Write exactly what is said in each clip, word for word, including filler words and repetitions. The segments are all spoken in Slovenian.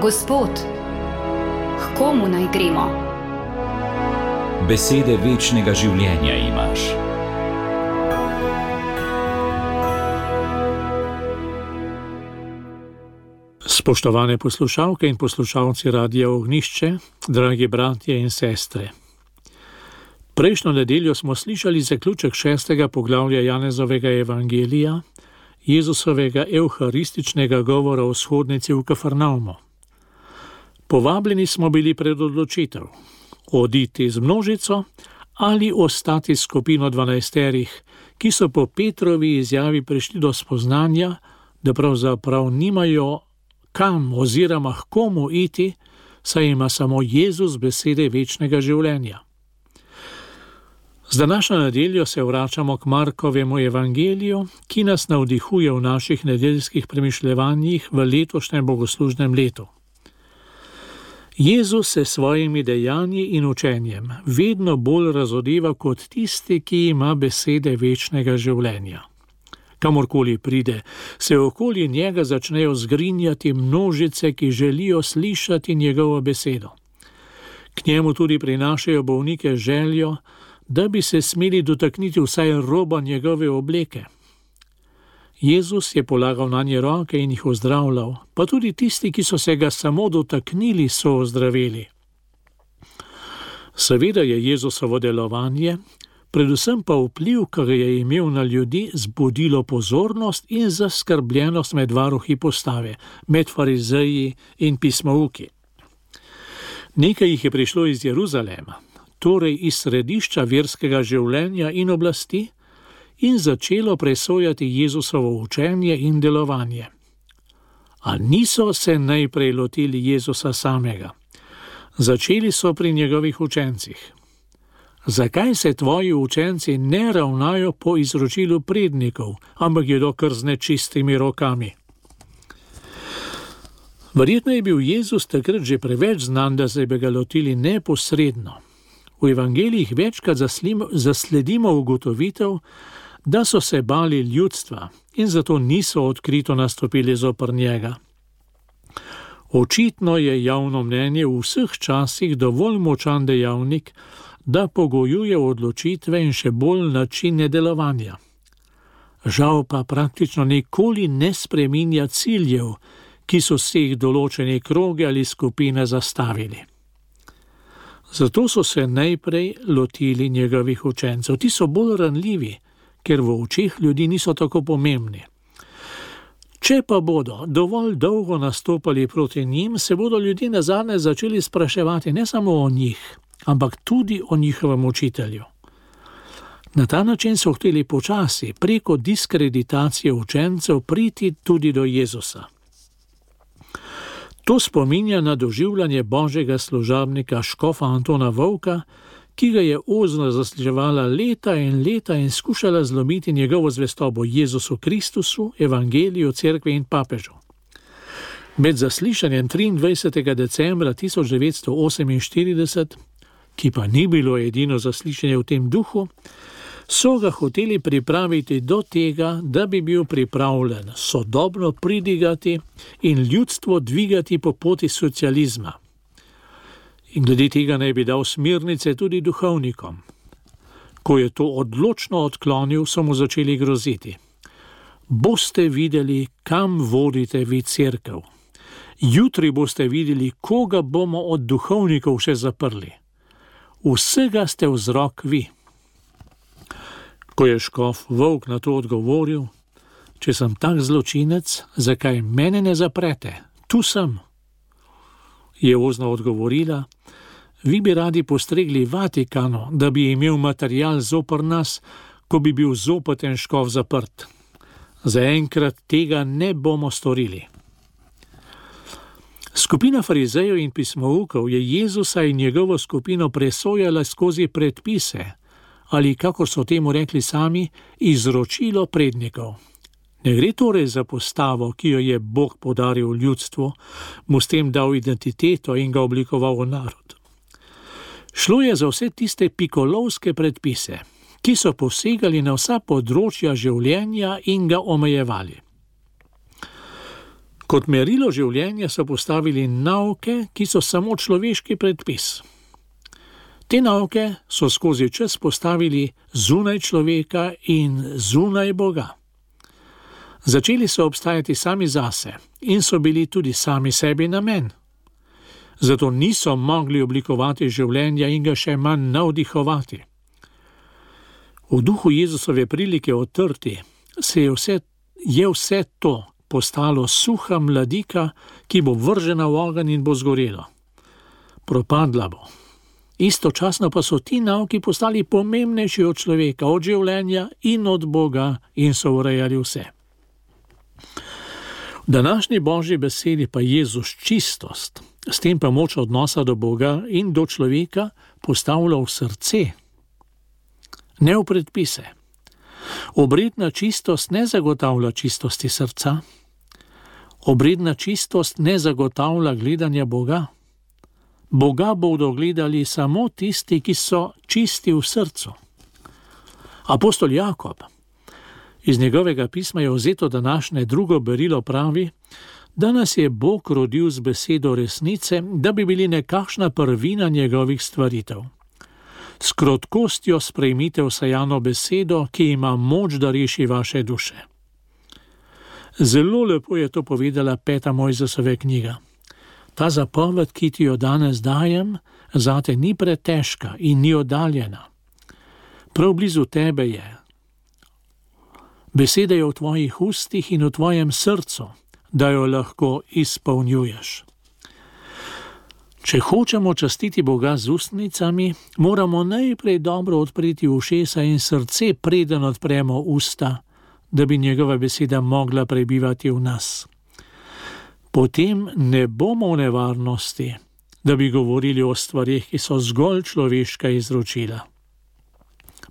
Gospod, k komu naj gremo? Besede večnega življenja imaš. Spoštovane poslušalke in poslušalci Radia Ognjišče, dragi bratje in sestre. Prejšnjo nedeljo smo slišali zaključek šestega poglavja Janezovega evangelija, Jezusovega evharističnega govora o shodnici v Kafarnaumu. Povabljeni smo bili pred odločitev, oditi z množico ali ostati s skupino dvanajsterih, ki so po Petrovi izjavi prišli do spoznanja, da pravzaprav nimajo kam oziroma k komu iti, saj ima samo Jezus besede večnega življenja. Z današnjo nedeljo se vračamo k Markovemu evangeliju, ki nas navdihuje v naših nedeljskih premišljevanjih v letošnjem bogoslužnem letu. Jezus se svojimi dejanji in učenjem vedno bolj razodeva kot tisti, ki ima besede večnega življenja. Kamorkoli pride, se okoli njega začnejo zgrinjati množice, ki želijo slišati njegovo besedo. K njemu tudi prinašajo bolnike željo, da bi se smeli dotakniti vsaj roba njegove obleke. Jezus je polagal nanje roke in jih ozdravljal, pa tudi tisti, ki so se ga samo dotaknili, so ozdravili. Seveda je Jezusovo delovanje, predvsem pa vpliv, ki ga je imel na ljudi, zbudilo pozornost in zaskrbljenost med varuhi postave, med farizeji in pismouki. Nekaj jih je prišlo iz Jeruzalema, torej iz središča verskega življenja in oblasti, in začelo presojati Jezusovo učenje in delovanje. A niso se najprej lotili Jezusa samega. Začeli so pri njegovih učencih. Zakaj se tvoji učenci ne ravnajo po izročilu prednikov, ampak jedo kar z nečistimi rokami? Verjetno je bil Jezus takrat že preveč znan, da se bi ga lotili neposredno. V evangelijih večkrat zasledimo ugotovitev, da so se bali ljudstva in zato niso odkrito nastopili zoper njega. Očitno je javno mnenje v vseh časih dovolj močan dejavnik, da pogojuje odločitve in še bolj načine delovanja. Žal pa praktično nikoli ne spreminja ciljev, ki so si jih določene kroge ali skupine zastavili. Zato so se najprej lotili njegovih učencev. Ti so bolj ranljivi, ker v očeh ljudi niso tako pomembni. Če pa bodo dovolj dolgo nastopali proti njim, se bodo ljudje nazadnje začeli spraševati ne samo o njih, ampak tudi o njihovem učitelju. Na ta način so hteli počasi, preko diskreditacije učencev, priti tudi do Jezusa. To spominja na doživljanje božjega služabnika škofa Antona Vovka, ki ga je ozno zasliševala leta in leta in skušala zlomiti njegovo zvestobo Jezusu Kristusu, evangeliju, cerkvi in papežu. Med zaslišanjem triindvajsetega decembra tisoč devetsto oseminštirideset, ki pa ni bilo edino zaslišanje v tem duhu, so ga hoteli pripraviti do tega, da bi bil pripravljen sodobno pridigati in ljudstvo dvigati po poti socializma. In glede tega naj bi dal smernice tudi duhovnikom. Ko je to odločno odklonil, so mu začeli groziti. Boste videli, kam vodite vi cerkev. Jutri boste videli, koga bomo od duhovnikov še zaprli. Vsega ste vzrok vi. Ko je škof Vovk na to odgovoril, če sem tak zločinec, zakaj mene ne zaprete? Tu sem. Je ozno odgovorila, vi bi radi postregli Vatikanu, da bi imel material zoper nas, ko bi bil zopaten škof zaprt. Zaenkrat tega ne bomo storili. Skupina farizejev in pismoukov je Jezusa in njegovo skupino presojala skozi predpise, ali, kakor so temu rekli sami, izročilo prednikov. Ne gre torej za postavo, ki jo je Bog podaril ljudstvu, mu s tem dal identiteto in ga oblikoval v narod. Šlo je za vse tiste pikolovske predpise, ki so posegali na vsa področja življenja in ga omejevali. Kot merilo življenja so postavili nauke, ki so samo človeški predpis. Te nauke so skozi čas postavili zunaj človeka in zunaj Boga. Začeli so obstajati sami zase in so bili tudi sami sebi namen. Zato niso mogli oblikovati življenja in ga še manj navdihovati. V duhu Jezusove prilike o trti se je vse, je vse to postalo suha mladika, ki bo vržena v ogenj in bo zgorelo. Propadla bo. Istočasno pa so ti nauki postali pomembnejši od človeka, od življenja in od Boga in so urejali vse. V današnji Božji besedi pa Jezus čistost, s tem pa moč odnosa do Boga in do človeka postavlja v srce, ne v predpise. Obredna čistost ne zagotavlja čistosti srca. Obredna čistost ne zagotavlja gledanja Boga. Boga bodo gledali samo tisti, ki so čisti v srcu. Apostol Jakob, iz njegovega pisma je vzeto današnje drugo berilo, pravi, da nas je Bog rodil z besedo resnice, da bi bili nekakšna prvina njegovih stvaritev. S krotkostjo sprejmite vsajano besedo, ki ima moč, da reši vaše duše. Zelo lepo je to povedala peta Mojzesova knjiga. Ta zapoved, ki ti jo danes dajem, zate ni pretežka in ni oddaljena. Prav blizu tebe je. Beseda je v tvojih ustih in v tvojem srcu, da jo lahko izpolnjuješ. Če hočemo častiti Boga z ustnicami, moramo najprej dobro odpreti ušesa in srce, preden odpremo usta, da bi njegova beseda mogla prebivati v nas. Potem ne bomo v nevarnosti, da bi govorili o stvarih, ki so zgolj človeška izročila.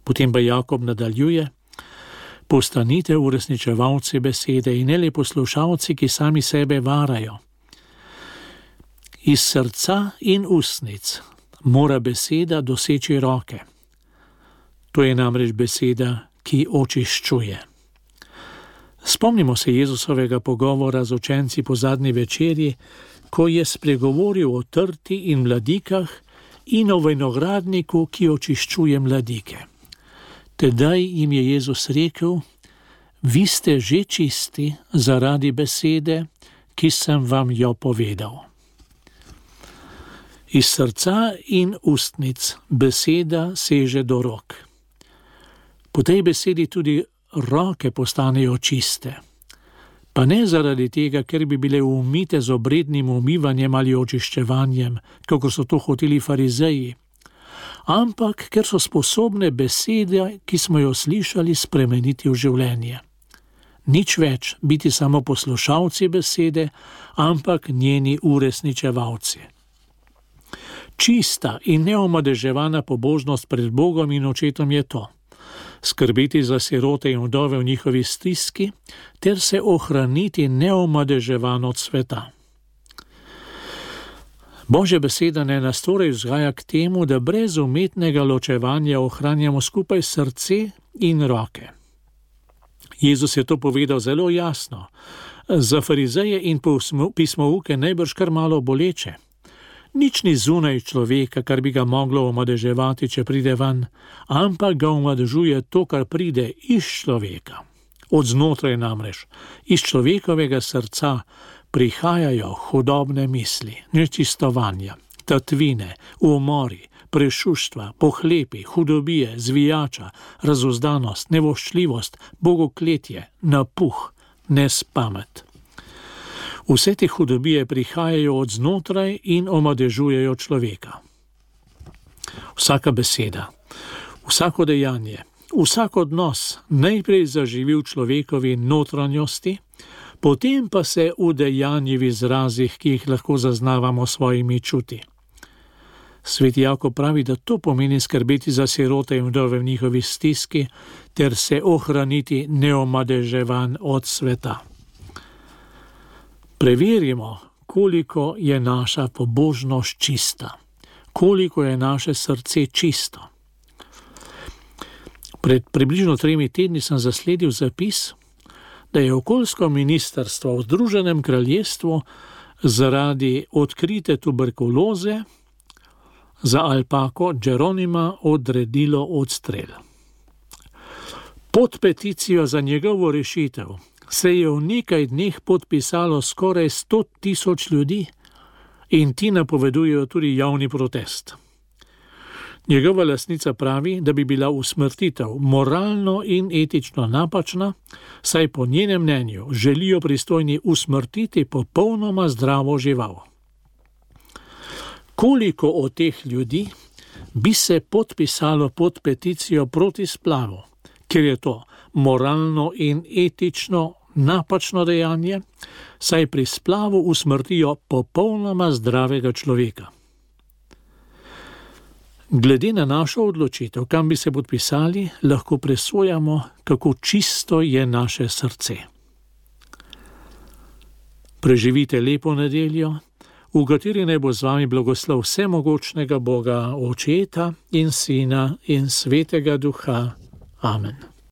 Potem pa Jakob nadaljuje: postanite uresničevalci besede in ne le poslušalci, ki sami sebe varajo. Iz srca in ustnic mora beseda doseči roke. To je namreč beseda, ki očiščuje. Spomnimo se Jezusovega pogovora z učenci po zadnji večerji, ko je spregovoril o trti in mladikah in o vinogradniku, ki očiščuje mladike. Tedaj jim je Jezus rekel: vi ste že čisti zaradi besede, ki sem vam jo povedal. Iz srca in ustnic beseda seže do rok. Po tej besedi tudi roke postanejo čiste. Pa ne zaradi tega, ker bi bile umite z obrednim umivanjem ali očiščevanjem, kako so to hoteli farizeji, ampak ker so sposobne besede, ki smo jo slišali, spremeniti v življenje. Nič več biti samo poslušalci besede, ampak njeni uresničevalci. Čista in neomadeževana pobožnost pred Bogom in očetom je to: skrbeti za sirote in vdove v njihovi stiski, ter se ohraniti neomadeževan od sveta. Božja beseda ne nas torej vzgaja k temu, da brez umetnega ločevanja ohranjamo skupaj srce in roke. Jezus je to povedal zelo jasno. Za farizeje in pismouke najbrž kar malo boleče. Nič ni zunaj človeka, kar bi ga moglo omadeževati, če pride ven, ampak ga omadežuje to, kar pride iz človeka. Od znotraj namreč, iz človekovega srca prihajajo hudobne misli, nečistovanja, tatvine, umori, prešuštva, pohlepi, hudobije, zvijača, razuzdanost, nevoščljivost, bogokletje, napuh, nespamet. Vse te hudobije prihajajo od znotraj in omadežujejo človeka. Vsaka beseda, vsako dejanje, vsak odnos najprej zaživi v človekovi notranjosti, potem pa se udejanji v izrazih, ki jih lahko zaznavamo s svojimi čuti. Sveti Jakob pravi, da to pomeni skrbeti za sirote in vdove v njihovi stiski ter se ohraniti neomadeževan od sveta. Preverimo, koliko je naša pobožnost čista, koliko je naše srce čisto. Pred približno tremi tedni sem zasledil zapis, da je okoljsko ministrstvo v Združenem kraljestvu zaradi odkrite tuberkuloze za alpako Geronima odredilo odstrel. Pod peticijo za njegovo rešitev se je v nekaj dneh podpisalo skoraj sto tisoč ljudi in ti napovedujejo tudi javni protest. Njegova lastnica pravi, da bi bila usmrtitev moralno in etično napačna, saj po njenem mnenju želijo pristojni usmrtiti popolnoma zdravo žival. Koliko od teh ljudi bi se podpisalo pod peticijo proti splavu, ker je to moralno in etično napačno dejanje, saj pri splavu usmrtijo popolnoma zdravega človeka. Glede na našo odločitev, kam bi se podpisali, lahko presojamo, kako čisto je naše srce. Preživite lepo nedeljo, v kateri naj bo z vami blagoslov vsemogočnega Boga, Očeta in Sina in Svetega Duha. Amen.